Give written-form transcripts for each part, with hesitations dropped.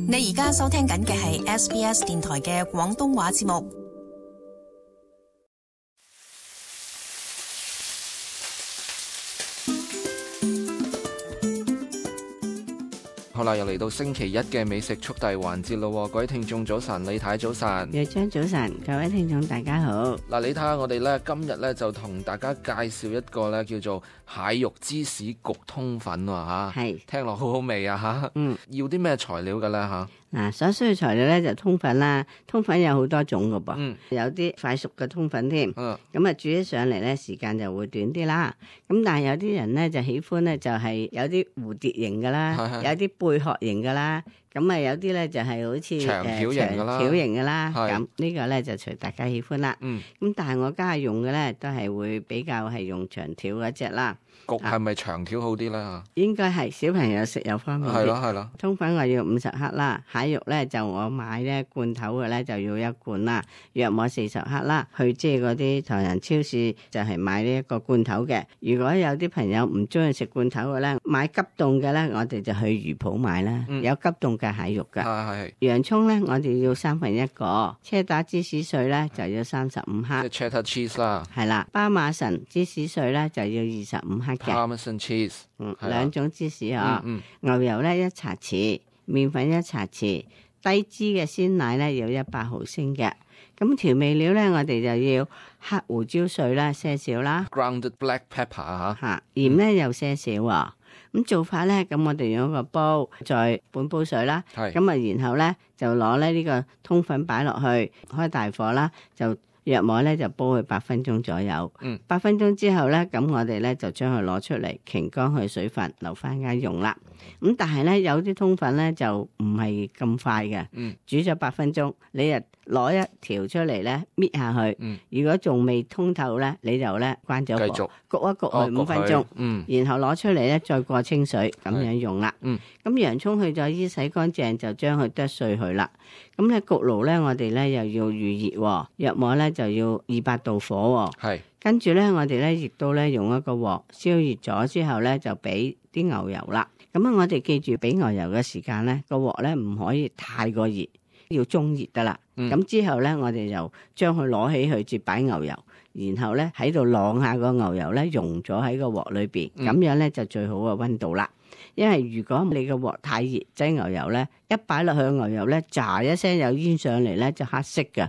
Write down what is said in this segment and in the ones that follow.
你而家收聽緊嘅係 SBS 電台嘅廣東話節目。好啦，又嚟到星期一嘅美食速遞環節咯，各位聽眾早晨，李太早晨，葉張早晨，各位聽眾大家好。嗱，你睇下我哋咧今日咧就同大家介紹一個咧叫做蟹肉芝士焗通粉喎嚇，係聽落好好味啊嚇。要啲咩材料嘅咧嚇？嗱，所需嘅材料咧就通粉啦，通粉有好多種㗎噃，有啲快熟嘅通粉添，咁啊煮起上嚟咧時間就會短啲啦。咁但係有啲人咧就喜歡咧就係有啲蝴蝶形㗎啦，有啲貝殼形㗎啦，咁啊有啲咧就係好似長條形㗎啦，咁呢個咧就隨大家喜歡啦。咁但係我家下用嘅咧都係會比較係用長條嗰隻啦。焗係咪長條好啲咧？應該係小朋友食又方便啲。係咯。通粉我要50克啦，蟹肉咧就我買咧罐頭嘅咧就要1罐啦，約莫40克啦。去即係嗰啲唐人超市就係買呢一個罐頭嘅。如果有啲朋友唔中意食罐頭嘅咧，買急凍嘅咧，我哋就去魚鋪買啦，有急凍嘅蟹肉㗎。係。洋葱咧，我哋要1/3個，車打芝士碎咧就要35克。即係 cheddar cheese 啦。係啦，巴馬臣芝士碎咧就要25克嘅。Parmesan cheese。兩種芝士啊。牛油咧1茶匙，麵粉1茶匙，低脂嘅鮮奶咧要100毫升嘅。咁調味料咧，我哋就要黑胡椒碎啦，些少啦。Grounded black pepper 嚇，鹽咧又些少喎。咁做法咧，咁我哋用一個煲，再半煲水啦。咁啊，然後咧就攞咧呢個通粉擺落去，開大火啦，就約莫咧就煲佢8分鐘左右。8分鐘之後咧，咁我哋咧就將佢攞出嚟，擎乾佢水分，留翻間用啦。咁但係咧有啲通粉咧就唔係咁快嘅。煮咗8分鐘，你就攞一條出嚟咧搣下去。如果仲未通透咧，你就咧關咗火，焗一焗佢5分鐘。然後攞出嚟咧再過清水，咁樣用啦。咁洋葱去咗衣洗乾淨，就將佢剁碎佢啦。咁咧焗爐咧，我哋咧又要預熱，約莫咧就要200度火。跟住咧，我哋咧亦都咧用一個鑊燒熱咗之後咧，就俾啲牛油啦。咁啊，我哋記住俾牛油嘅時間咧，個鑊咧唔可以太過熱，要中熱得啦。咁之後咧，我哋就將佢攞起去接擺牛油，然後咧喺度晾下個牛油咧溶咗喺個鑊裏邊，咁樣咧就最好嘅溫度啦。因為如果你個鑊太熱，擠牛油咧一擺落去牛油咧，炸一聲有煙上嚟咧就黑色㗎。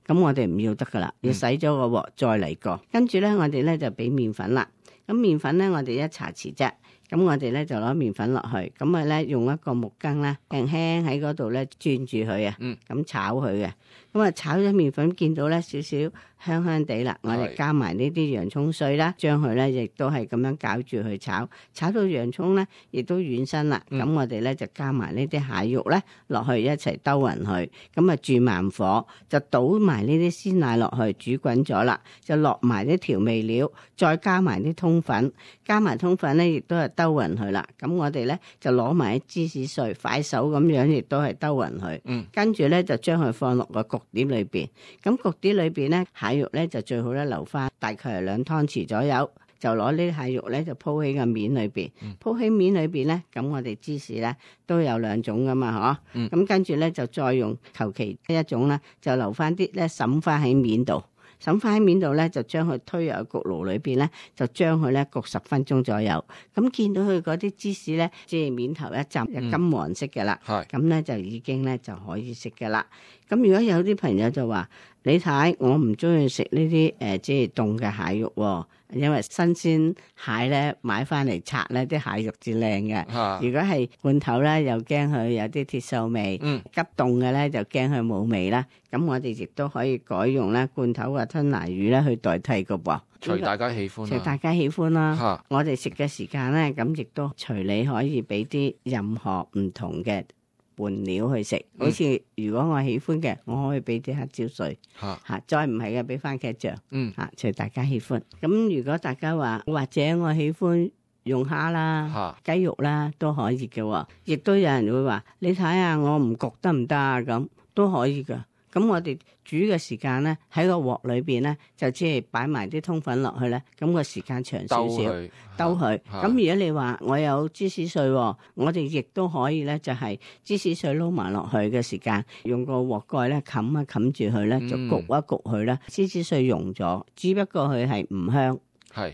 咁我哋唔要得噶啦，要洗咗個鑊再嚟過。跟住咧，我哋咧就俾麵粉啦。咁麵粉咧，我哋1茶匙啫。咁我哋咧就攞麵粉落去，咁啊咧用一個木羹咧輕輕喺嗰度咧轉住佢啊，咁炒佢嘅。咁啊炒咗麵粉，見到咧少少香香地啦，我哋加埋呢啲洋葱碎啦，將佢咧亦都係咁樣攪住去炒，炒到洋葱咧亦都軟身啦。咁我哋咧就加埋呢啲蟹肉咧落去一齊兜勻佢，咁啊轉慢火，就倒埋呢啲鮮奶落去煮滾咗啦，就落埋啲調味料，再加埋啲通粉，加埋通粉咧亦都係兜勻佢啦。咁我哋咧就攞埋啲芝士碎，快手咁樣亦都係兜勻佢。跟住咧就將佢放落個焗碟裏邊。咁焗碟裏邊咧蟹肉咧就最好咧留翻大概係2湯匙左右，就攞呢啲蟹肉咧就鋪喺個面裏邊。鋪喺面裏邊咧，咁我哋芝士咧都有2種噶嘛，嗬。咁跟住咧就再用求其一種啦，就留翻啲咧滲翻喺面度。沈翻喺面度咧，就將佢推入焗爐裏邊咧，就將佢咧焗10分鐘左右。咁見到佢嗰啲芝士咧，即係面頭一浸就金黃色嘅啦。咁咧就已經咧就可以食嘅啦。咁如果有啲朋友就話：你睇我唔中意食呢啲即係凍嘅蟹肉喎，因為新鮮蟹咧買翻嚟拆咧啲蟹肉至靚嘅。如果係罐頭咧，又驚佢有啲鐵鏽味；急凍嘅咧就驚佢冇味啦。咁我哋亦都可以改用咧罐頭嘅吞拿魚咧去代替嘅噃。隨大家喜歡，隨大家喜歡啦。我哋食嘅時間咧，咁亦都隨你可以俾啲任何唔同嘅伴料去食。好似如果我喜歡嘅，我可以俾啲黑椒碎，再唔係嘅俾番茄醬，隨大家喜歡。咁如果大家話或者我喜歡用蝦啦、雞肉啦都可以嘅，亦都有人會話你睇下我唔焗得唔得啊？咁都可以噶。咁我哋煮嘅時間咧，喺個鑊裏邊咧，就即係擺埋啲通粉落去咧，咁個時間長少少，兜佢。咁如果你話我有芝士碎，我哋亦都可以咧，就係芝士碎撈埋落去嘅時間，用個鑊蓋咧冚一冚住佢咧，就焗一焗佢咧，芝士碎溶咗，只不過佢係唔香。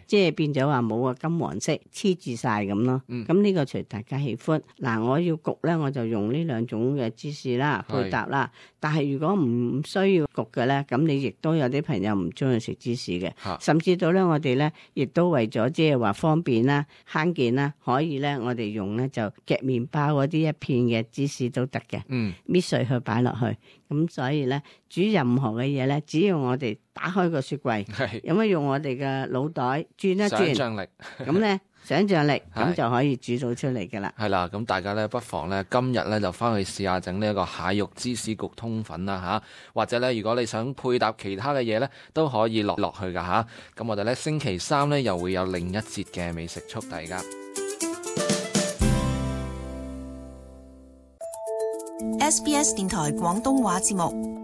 即係變咗話冇個金黃色黐住晒咁咯。咁呢個隨大家喜歡。嗱，我要焗咧，我就用呢兩種嘅芝士啦，配搭啦。但係如果唔需要焗嘅咧，咁你亦都有啲朋友唔中意食芝士嘅，甚至到咧我哋咧亦都為咗即係話方便啦、慳件啦，可以咧我哋用咧就夾麵包嗰啲一片嘅芝士都得嘅。搣碎佢擺落去。咁所以咧煮任何嘅嘢咧，只要我哋打開個雪櫃，有乜用我哋嘅腦袋轉一轉，想像力，咁咧想像力，咁就可以煮到出嚟㗎啦。係啦，咁大家咧不妨咧今日咧就翻去試下整呢一個蟹肉芝士焗通粉啦嚇，或者咧如果你想配搭其他嘅嘢咧，都可以落去㗎嚇。咁我哋咧星期三咧又會有另一節嘅美食速遞㗎。SBS 電台廣東話節目。